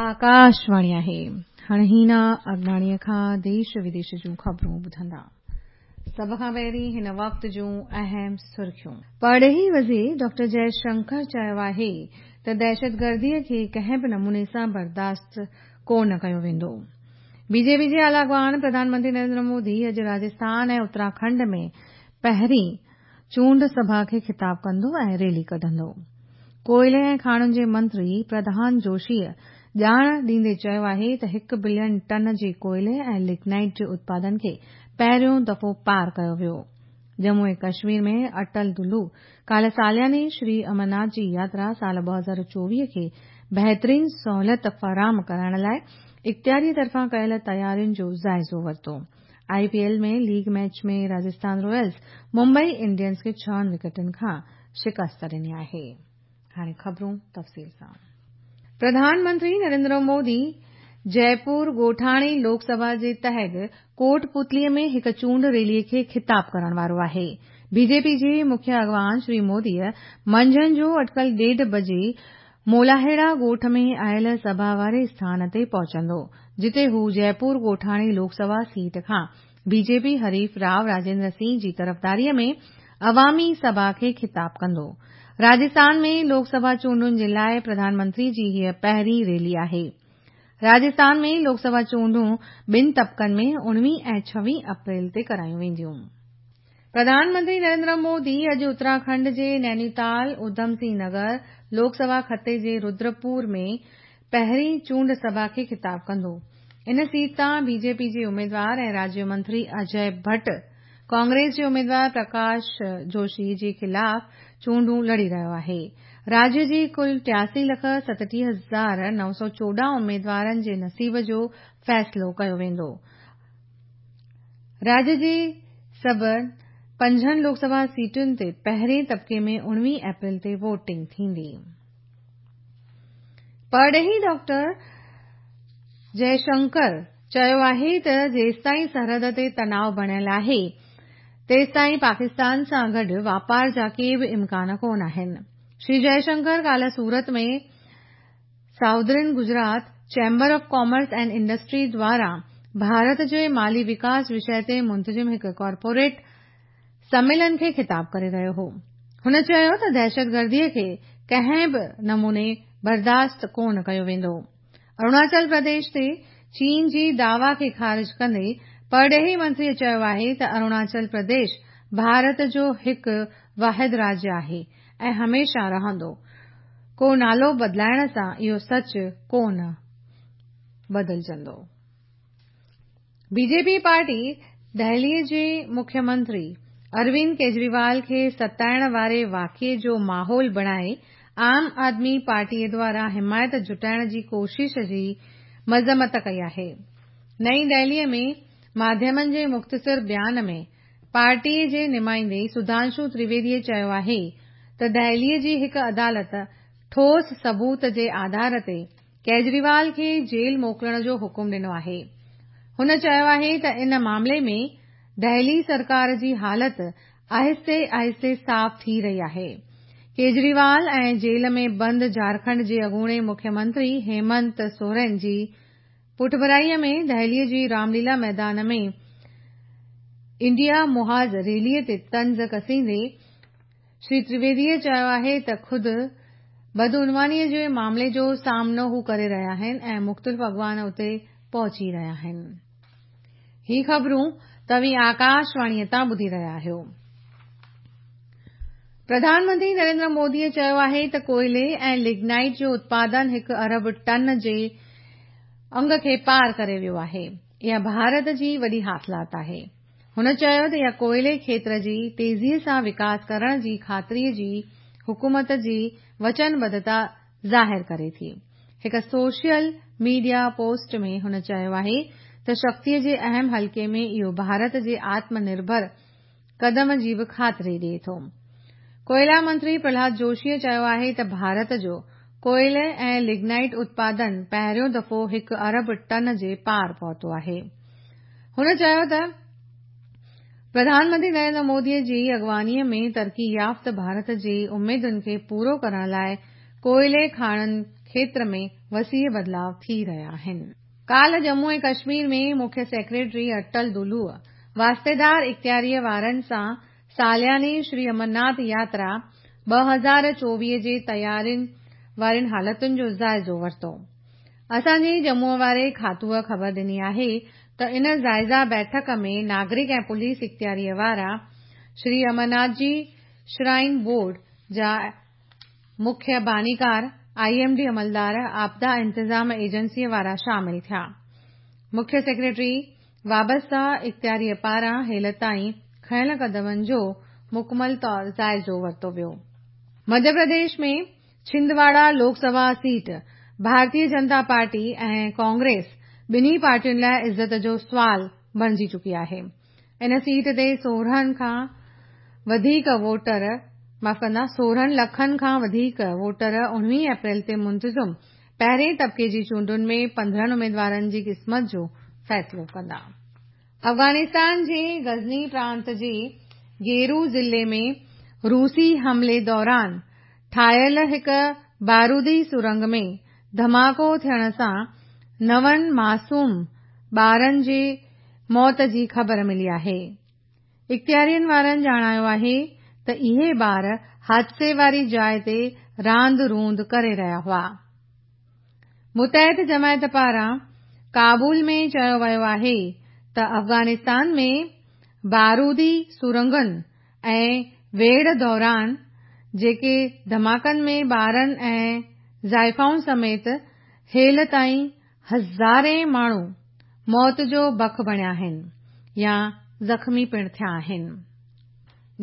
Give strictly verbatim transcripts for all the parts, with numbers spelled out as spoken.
آڪاشواڻي آهي. هاڻي هينا اگناڻيءَ کان ديش وديش جون خبرون ٻڌندا. سڀ کان پهرين هن وقت جون اهم سرخيون. پرڏيهي وزير ڊاڪٽر جئي شنڪر چيو آهي ته دهشتگرديءَ کي ڪنهن به نموني سان برداشت ڪونه ڪيو ويندو. بي جي پي جي اعليٰ اڳواڻ پرڌان منتري نريندر مودي اڄ راجسٿان ۽ اتراکنڊ ۾ پهرين چونڊ سڀا کي خطاب ڪندو ۽ ريلي ڪڍندو. ڪوئلي ۽ کاڻن جي منتري پرهلاد جوشيءَ ڄاڻ ڏيندي چيو آهي ته هڪ بلين ٽن جي ڪوئلي ۽ لگنائيٽ جي اتپادن کي پهريون دفعو پار ڪيو ويو. ڄمون ۽ ڪشمير ۾ اٽل دلو ڪالهه سالياني شري امرناٿ جي ياترا سال ٻه هزار چوويهه کي بهترين سهولت فراهم ڪرائڻ لاءِ اختياريءَ طرفان ڪيل تيارين جو جائزو ورتو. I P L ۾ league match ۾ Rajasthan Royals Mumbai Indians کي ڇهن وڪيٽن کان شڪست ڏني آهي. هاڻي خبرون تفصيل سان. پرڌان منتري نريندر مودي جئپور ڳوٺاڻي لوڪ سڀا جي تحت ڪوٽ پتليءَ ۾ هڪ چونڊ ريليءَ کي خطاب ڪرڻ وارو آهي. بي جي پي جي مکيه اڳواڻ شري موديءَ منجهند جو اٽڪل ڏيڍ بجي مولاهيڙا ڳوٺ ۾ آيل سڀا واري اسٿان تي پهچندو، جتي هو جئپور ڳوٺاڻي لوڪ سڀا سيٽ کان بي جي پي حريف رائو راجيندر سنگهه جي طرفداريءَ ۾ عوامي سڀا کي خطاب ڪندو. راجسٿان ۾ لوڪ سڀا چونڊن جي لاءِ پرڌان منتري جي هيءَ پهرين ريلي آهي. راجسٿان ۾ لوڪ سڀا چونڊون ٻن طبقن ۾ اڻويهه ۽ ڇويهه اپريل تي ڪرايون وينديون. پرڌان منتري نريندر مودي اڄ اتراکنڊ جي نينيتال اڌم سنگهه نگر لوڪ سڀا خطي جي ردرپور ۾ پهرين چونڊ سڀا کي خطاب ڪندو. ان سيٽ تان بي جي پي جي اميدوار ۽ راجيه منتري اجي ڀٽ ڪانگريس جي اميدوار پرڪاش جوشي جي خلاف چونڊون لڙي رهيو آهي. راجيه جي ڪل ٽياسي لک ستٽيهه هزار نو سؤ چوڏهن اميدوارن جي نصيب جو فيصلو ڪيو ويندو. راجيه جي سڀ پنجن لوڪ سڀا سيٽن تي پهرين طبقي ۾ اڻويهه اپريل تي ووٽنگ ٿيندي. پرڏيهي ڊاڪٽر جئي شنڪر چيو آهي ته جيستائين سرحد تي تناءُ بڻيل آهي تيستائين پاڪستان سان گڏ واپار جا ڪي به امڪان ڪونه آهن. شري جئي شنڪر ڪالهه سورت ۾ Southern Gujarat Chamber of Commerce and Industry دواران Bharat جي مالي وڪاس وشيه تي منتظم هڪ ڪارپوريٽ سميلن کي خطاب ڪري رهيو هو. هن چيو ته دهشتگرديءَ کي ڪنهن به نموني برداشت ڪونه ڪيو ويندو. اروناچل پرديش تي چين جي دعويٰ کي خارج ڪندي پرڏيهي منتريءَ چيو آهي ته اروناچل پرديش ڀارت جو هڪ واحد راجيه آهي ۽ هميشه رهندو. ڪو نالو بدلائڻ سان اهو سچ ڪونه بدلجندو. بي جي پي پارٽي دهليءَ جي مکيه منتري اروند ڪيجريوال کي ستائڻ واري واقعي جو ماحول بڻائي عام آدمي پارٽيءَ دواران حمايت جٽائڻ جي ڪوشش جي مذمت ڪئي آهي. نئين دهليءَ ۾ ماڌيمن جي مختصر بيان ۾ پارٽيءَ جي نمائندي سڌانشو ترويديءَ چيو آهي ته دهليءَ جي هڪ عدالت ٺوس ثبوت جي آڌار تي ڪيجريوال کي جيل موڪلڻ جو حڪم ڏنو آهي. هن چيو آهي ته ان معاملي ۾ دهلي سرڪار جي حالت آهستي آهستي صاف ٿي رهي آهي. ڪيجريوال ۽ جيل ۾ بند جهارکنڊ جي اڳوڻي مکيه منتري هيمنت سورين جي پٺڀرائيءَ ۾ دهليءَ جي رامليلا ميدان ۾ انڊيا محاذ ريليءَ تي طنز ڪسيندي شري ترويديءَ چيو آهي ته خود بدعنوانيءَ جي معاملي جو سامنو هو ڪري رهيا آهن ۽ مختلف اڳواڻ اتي پهچي رهيا آهن. هي خبرون توهين آڪاشواڻيءَ تان ٻڌي رهيا آهيو. پرڌان منتري نريندر موديءَ چيو آهي ته ڪوئلي ۽ لگنائيٽ جو اتپادن هڪ ارب ٽن جي انگ کي پار ڪري ويو آهي. اها ڀارت جي وڏي حاصلات آهي. هن چيو ته اها ڪوئلي کيتر جي تيزيءَ سان وڪاس ڪرڻ جي خاطريءَ جي حڪومت جي وچنبڌتا ظاهر ڪري ٿي. هڪ سوشل ميڊيا پوسٽ ۾ هن چيو آهي ته شڪتيءَ جي اهم حلقي ۾ اهو ڀارت جي آتم نرڀر قدم جي به خاطري ڏئي ٿو. ڪوئلا منتري پرهلاد جوشيءَ چيو آهي ته ڀارت جو ڪوئلي ۽ لگنائيٽ اتپادن پهريون دفعو هڪ ارب ٽن جي پار پهتو آهي. هن چيو ته پرڌان منتري نريندر موديءَ جي اڳواڻيءَ ۾ ترقي يافته ڀارت جي اميدن کي پورو ڪرڻ لاءِ ڪوئلي کاڻن کيتر ۾ وسيع بدلاء ٿي رهيا آهن. ڪالهه ڄمون ۽ ڪشمير ۾ مکيه سيڪريٽري اٽل دلو واسطيدار اختياريء وارن سان سالياني شري امرناٿ ياترا ٻه هزار چوويهه جي تيارين وارين حالتن جو جائزو ورتو. اسان جي ڄمونءَ واري کاتوءَ خبر ڏني آهي ته ان جائزه بيٺڪ ۾ ناگرڪ ۽ پوليس اختياريء وارا، شري امرناٿ جي شرائن بورڊ جا مکيه بانيڪار، I M D عملدار، آپدا انتظام ايجنسيء وارا شامل ٿيا. مکيه سيڪريٽري وابسته اختياريء پاران هيل تائين کنيل قدمن جو مڪمل طور جائزو ورتو ويو. مڌيه پرديش ۾ ڇندواڙا لوڪ سڀا سيٽ ڀارتيه جنتا پارٽي ۽ ڪانگريس ٻنهي پارٽين لاءِ عزت جو سوال بڻجي چڪي آهي. ان سيٽ تي سورهن کان وڌيڪ ووٽر معاف ڪندا سورهن لکن کان وڌيڪ ووٽر اڻويهه اپريل تي منتظم پهرين طبقي جي چونڊن ۾ پندرهن اميدوارن جي قسمت جو فيصلو ڪندا. افغانستان جي غزني پرانت جي گيرو ضلعي ۾ روسي حملي دوران ٺاهيل هڪ بارودي سرنگ ۾ ڌماڪو ٿيڻ سان نون معصوم ٻارن جي موت جي خبر ملي آهي. اختيارين وارن ڄاڻايو آهي ته اهي ٻار حادثي واري جاءِ تي راند روند ڪري رهيا هئا. متحد جماعت پاران ڪابل ۾ چيو ويو آهي ته افغانستان ۾ بارودي سرنگن ۽ ويڙهه دوران جيڪي ڌماڪن ۾ ٻارن ۽ زائفائن سميت هيل تائين هزارين ماڻهو موت جو بک بڻيا آهن يا زخمي پڻ ٿيا آهن.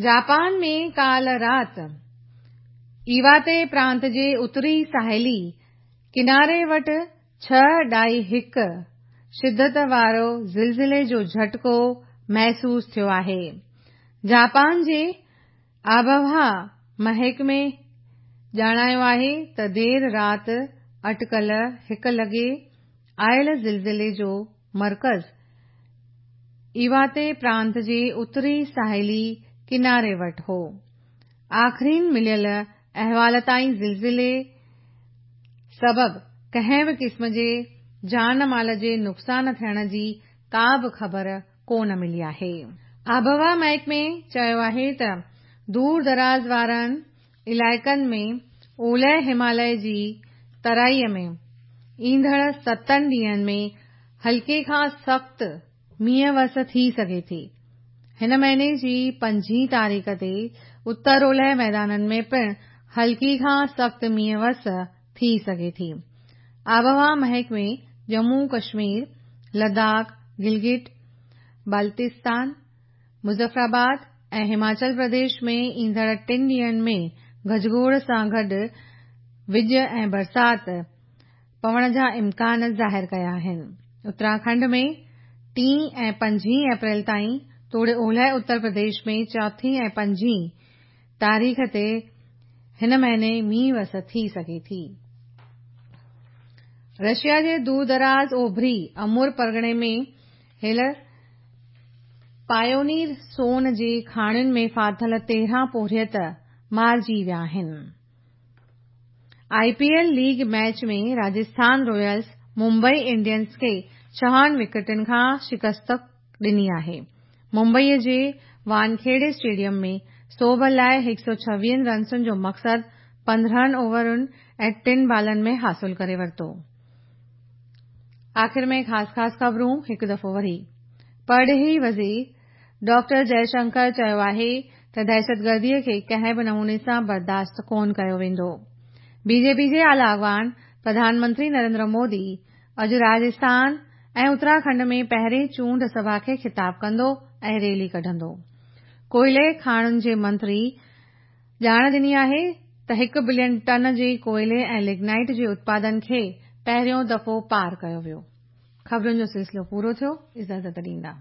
جاپان ۾ ڪالهه رات ايواتي پرانت جي اتري ساحلي ڪناري وٽ ڇهه ڏهائي هڪ شدت وارو زلزلي جو جهٽڪو محسوس ٿيو آهي. جاپان جي آبهوا محڪمي ڄاڻايو آهي ته دير رات اٽڪل هڪ لڳي آيل زلزلي جو مرڪز ايواتي پرانت جي اتري ساحلي ڪناري وٽ هو. آخرين مليل احوال تائين زلزلي سبب ڪنهن به قسم جي جان مال جي نقصان ٿيڻ جي ڪا به خبر ڪونه ملي آهي. آبهوا محڪمي چيو آهي ته دور دراز وارن علائقن ۾ اولهه هماليه جي ترائيءَ ۾ ايندڙ ستن ڏينهن ۾ هلڪي کان سخت مينهن وس ٿي سگهي ٿي. هن مهيني جي پنجين تاريخ تي اتر اولهه ميدانن ۾ پڻ هلڪي کان سخت مينهن وس ٿي سگهي ٿي. آبهوا محڪمي ڄمون ڪشمير، لداخ، گلگت بلتستان، مظفرآباد ۽ هماچل پرديش ۾ ايندڙ ٽن ڏينهن ۾ گجگوڙ سان گڏ وڄ ۽ برسات پوڻ جا امڪان ظاهر ڪيا آهن. اتراکنڊ ۾ ٽين ۽ پنجين اپريل تائين توڙي اولهه اتر پرديش ۾ چوٿين ۽ پنجين تاريخ تي هن مهيني مينهن وس ٿي سگهي ٿي. رشيا جي دور دراز اوڀري امور پرڳڻي ۾ هيل پايونير سون جي کاڻين ۾ ڦاٿل تيرهن پورهيت مارجي ويا آهن. I P L league match ۾ Rajasthan Royals Mumbai Indians کي ڇهن وڪيٽن کان شڪست ڏني آهي. ممبئيءَ جي وانکيڙي اسٽيڊيم ۾ سوڀ لاءِ هڪ سؤ ڇويهه رنسن جو مقصد پندرهن اوورن ۽ ٽن بالن ۾ حاصل ڪري ورتو. آخر ۾ خاص خاص خبرون هڪ دفعو وري. پرڏيهي وزير ڊاڪٽر جئشنڪر چيو آهي ته دهشتگرديءَ کي ڪنهن به نموني سان برداشت ڪونه ڪيو ويندو. بي جي پي جي اعليٰ اڳواڻ پرڌان منتري نريندر مودي اڄ راجسٿان ۽ اتراکنڊ ۾ پهرين چونڊ سڀا کي خطاب ڪندو ۽ ريلي ڪڍندو. ڪوئلي کاڻن جي منتري ڄاڻ ڏني آهي ته هڪ بلين ٽن جي ڪوئلي ۽ لگنائيٽ جي اتپادن کي پهريون دفعو پار ڪيو ويو. خبرن جو سلسلو پورو ٿيو. اجازت ڏيندا.